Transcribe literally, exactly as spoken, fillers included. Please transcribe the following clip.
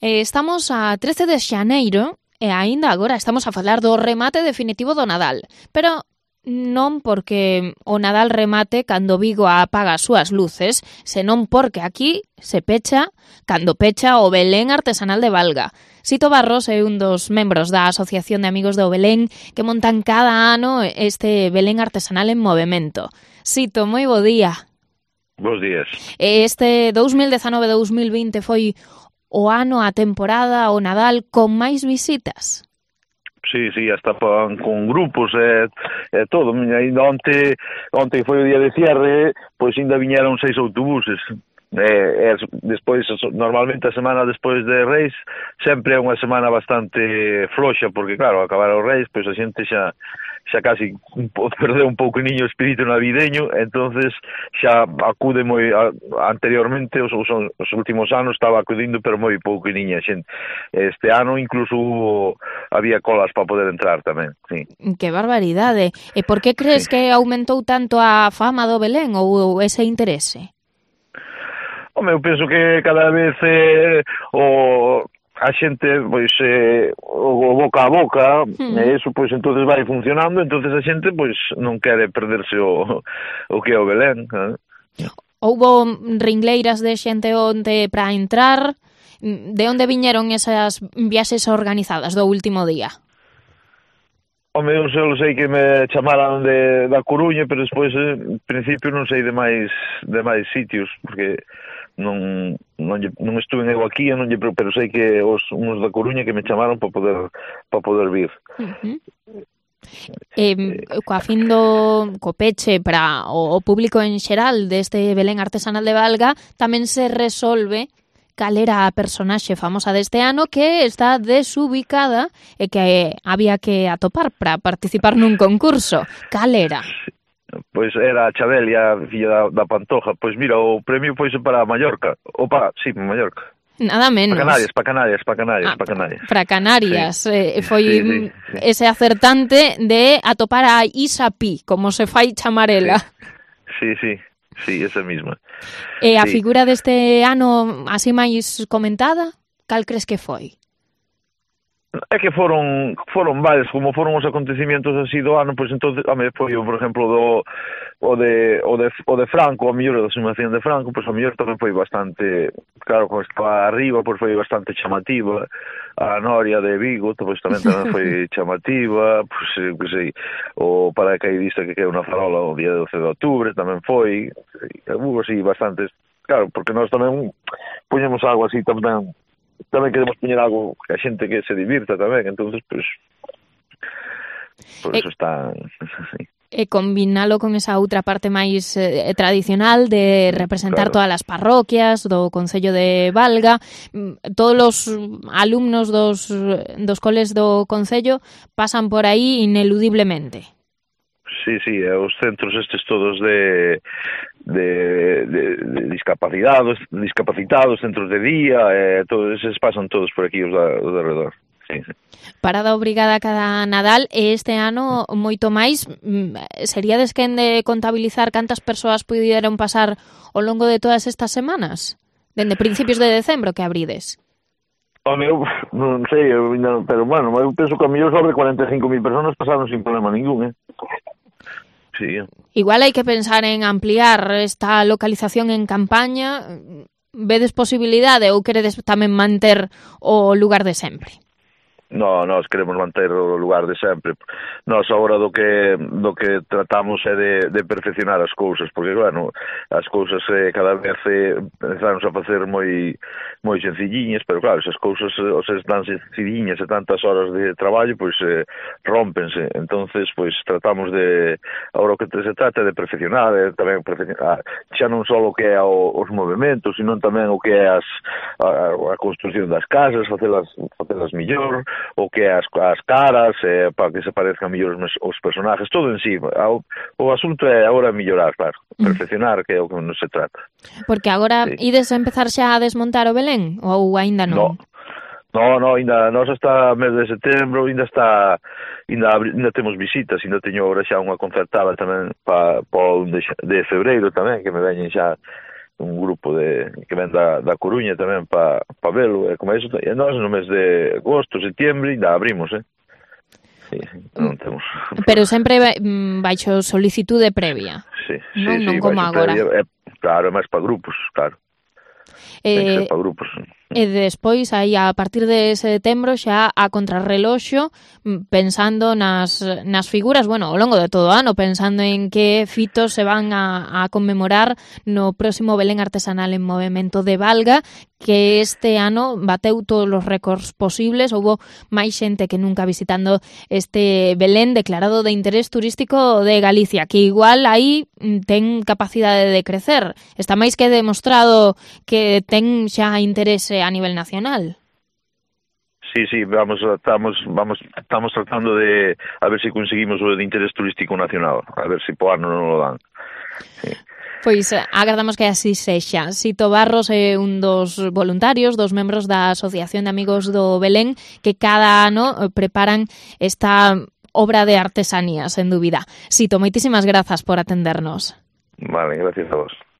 Eh, estamos a trece de xaneiro e aínda agora estamos a falar do remate definitivo do Nadal. Pero non porque o Nadal remate cando Vigo apaga as súas luces, senón porque aquí se pecha cando pecha o Belén Artesanal de Valga. Sito Barros é un dos membros da Asociación de Amigos do Belén que montan cada ano este Belén Artesanal en movemento. Sito, moi bo día. Bos días. Este dous mil dezanove dous mil vinte foi o ano, a temporada, o Nadal con máis visitas. Sí, sí, hasta pan, con grupos e, e todo. Ainda onte, onte foi o día de cierre, pois ainda viñeron seis autobuses. E, e despois, normalmente a semana despois de Reis sempre é unha semana bastante floxa, porque claro, acabar os Reis, pois a xente xa xa casi perdeu un pouco niño o espírito navideño, entonces xa acude moi a, anteriormente os, os, os últimos anos estaba acudindo pero moi pouco niña xente. Este ano incluso hubo, había colas para poder entrar tamén, sí. Que barbaridade. E por que crees sí. que aumentou tanto a fama do Belén ou ese interese? Home, eu penso que cada vez eh, o a xente, pois, eh, o boca a boca, mm. e eso, pois, entonces vai funcionando, entonces a xente, pois, non quere perderse o, o que é o Belén. Eh? Houbo ringleiras de xente onte para entrar. De onde viñeron esas viaxes organizadas do último día? Home, eu só sei que me chamaran de, da Coruña, pero despois, en principio, non sei de máis de máis sitios, porque non non, non estuve eu aquí, non lle, pero sei que os uns da Coruña que me chamaron para poder para poder vir. Uh-huh. Eh, coa fin do co peche para o, o público en xeral deste Belén Artesanal de Valga tamén se resolve cal era a personaxe famosa deste ano que está desubicada e que había que atopar para participar nun concurso. Cal era? Pois era a Chabelia, filla da, da Pantoja. Pois mira, o premio foi para Mallorca. O para, sí, para Mallorca. Nada menos. Para Canarias, para Canarias, para Canarias, ah, para Canarias. Para Canarias. Sí. Eh, foi sí, sí, sí. ese acertante de atopar a Isa Pi, como se fai chamar ela. Sí, sí, sí, sí, esa misma. E a sí. figura deste ano así máis comentada, cal crees que foi? É que foron foron varios, como foron os acontecimientos así do ano, pois entonces, a me foi, por exemplo, do o de o de o de Franco, a mellor da sumación de Franco, pois a mellor tamén foi bastante, claro, como estaba arriba, pois foi bastante chamativa. A Noria de Vigo, pois tamén tamén foi chamativa, pois que sei, o paracaidista que quedou na farola o día doce de outubro tamén foi, hubo así bastantes, claro, porque nós tamén poñemos algo así tamén tamén queremos poñer algo que a xente que se divirta tamén, entonces pues por eso e, está e combinalo con esa outra parte máis eh, tradicional de representar claro. Todas as parroquias do Concello de Valga. Todos os alumnos dos, dos coles do Concello pasan por aí ineludiblemente. Sí, sí, os centros estes todos de de, de, de discapacitados, discapacitados, centros de día, eh, todos eses pasan todos por aquí os da, os de alrededor. Sí, sí. Parada obrigada cada Nadal e este ano moito máis. Sería desquen de contabilizar cantas persoas puderon pasar ao longo de todas estas semanas? Dende principios de decembro que abrides. Home, eu non sei, eu, pero bueno, eu penso que a mellor sobre cuarenta e cinco mil personas pasaron sin problema ningún, eh? Sí. Igual hai que pensar en ampliar esta localización en campaña. Vedes posibilidade ou queredes tamén manter o lugar de sempre? No, nós queremos manter o lugar de sempre. Nós agora do que do que tratamos é de, de perfeccionar as cousas, porque, bueno, as cousas eh, cada vez eh, empezamos a facer moi moi sencilliñas, pero claro, esas cousas os están sencilliñas e tantas horas de traballo, pois eh, rompense. Entonces, pois tratamos de, agora o que se trata é de perfeccionar, é tamén perfeccionar, xa non só o que é o, os movimentos, sino tamén o que é as, a, a construcción das casas, facelas, facelas mellor, o que é as, as caras, eh, para que se parezcan mellor os, os personajes, todo en sí. O, o asunto é agora mellorar, claro, perfeccionar, que é o que non se trata. Porque agora sí. Ides a empezar xa a desmontar o Belén, ou aínda non? No, no, no, ainda, nós hasta mes de setembro, ainda está, ainda, ainda temos visitas, ainda teño agora xa unha concertada tamén para pa un de, de febreiro tamén, que me veñen xa un grupo de que ven da, da Coruña tamén para pa velo, e como é iso, e nós no mes de agosto, septiembre, ainda abrimos, eh? Sí, non temos. Pero sempre baixo solicitude previa. Sí, sí, non, sí, non como agora. Previa, é, claro, é máis para grupos, claro. Eh, Ten que ser para grupos. E despois, aí, a partir de setembro, xa a contrarreloxo, pensando nas, nas figuras, bueno, ao longo de todo o ano, pensando en que fitos se van a, a conmemorar no próximo Belén Artesanal en Movemento de Valga, que este ano bateu todos os récords posibles, houbo máis xente que nunca visitando este Belén declarado de interés turístico de Galicia, que igual aí ten capacidade de crecer. Está máis que demostrado que ten xa interese a nivel nacional. Sí, sí, vamos, estamos, vamos, estamos tratando de a ver si conseguimos o de interés turístico nacional, a ver si po ano non lo dan. Sí. Pois agardamos que así sexa. Sito Barros é un dos voluntarios, dos membros da Asociación de Amigos do Belén, que cada ano preparan esta obra de artesanía, sen dúbida. Sito, moitísimas grazas por atendernos. Vale, gracias a vos.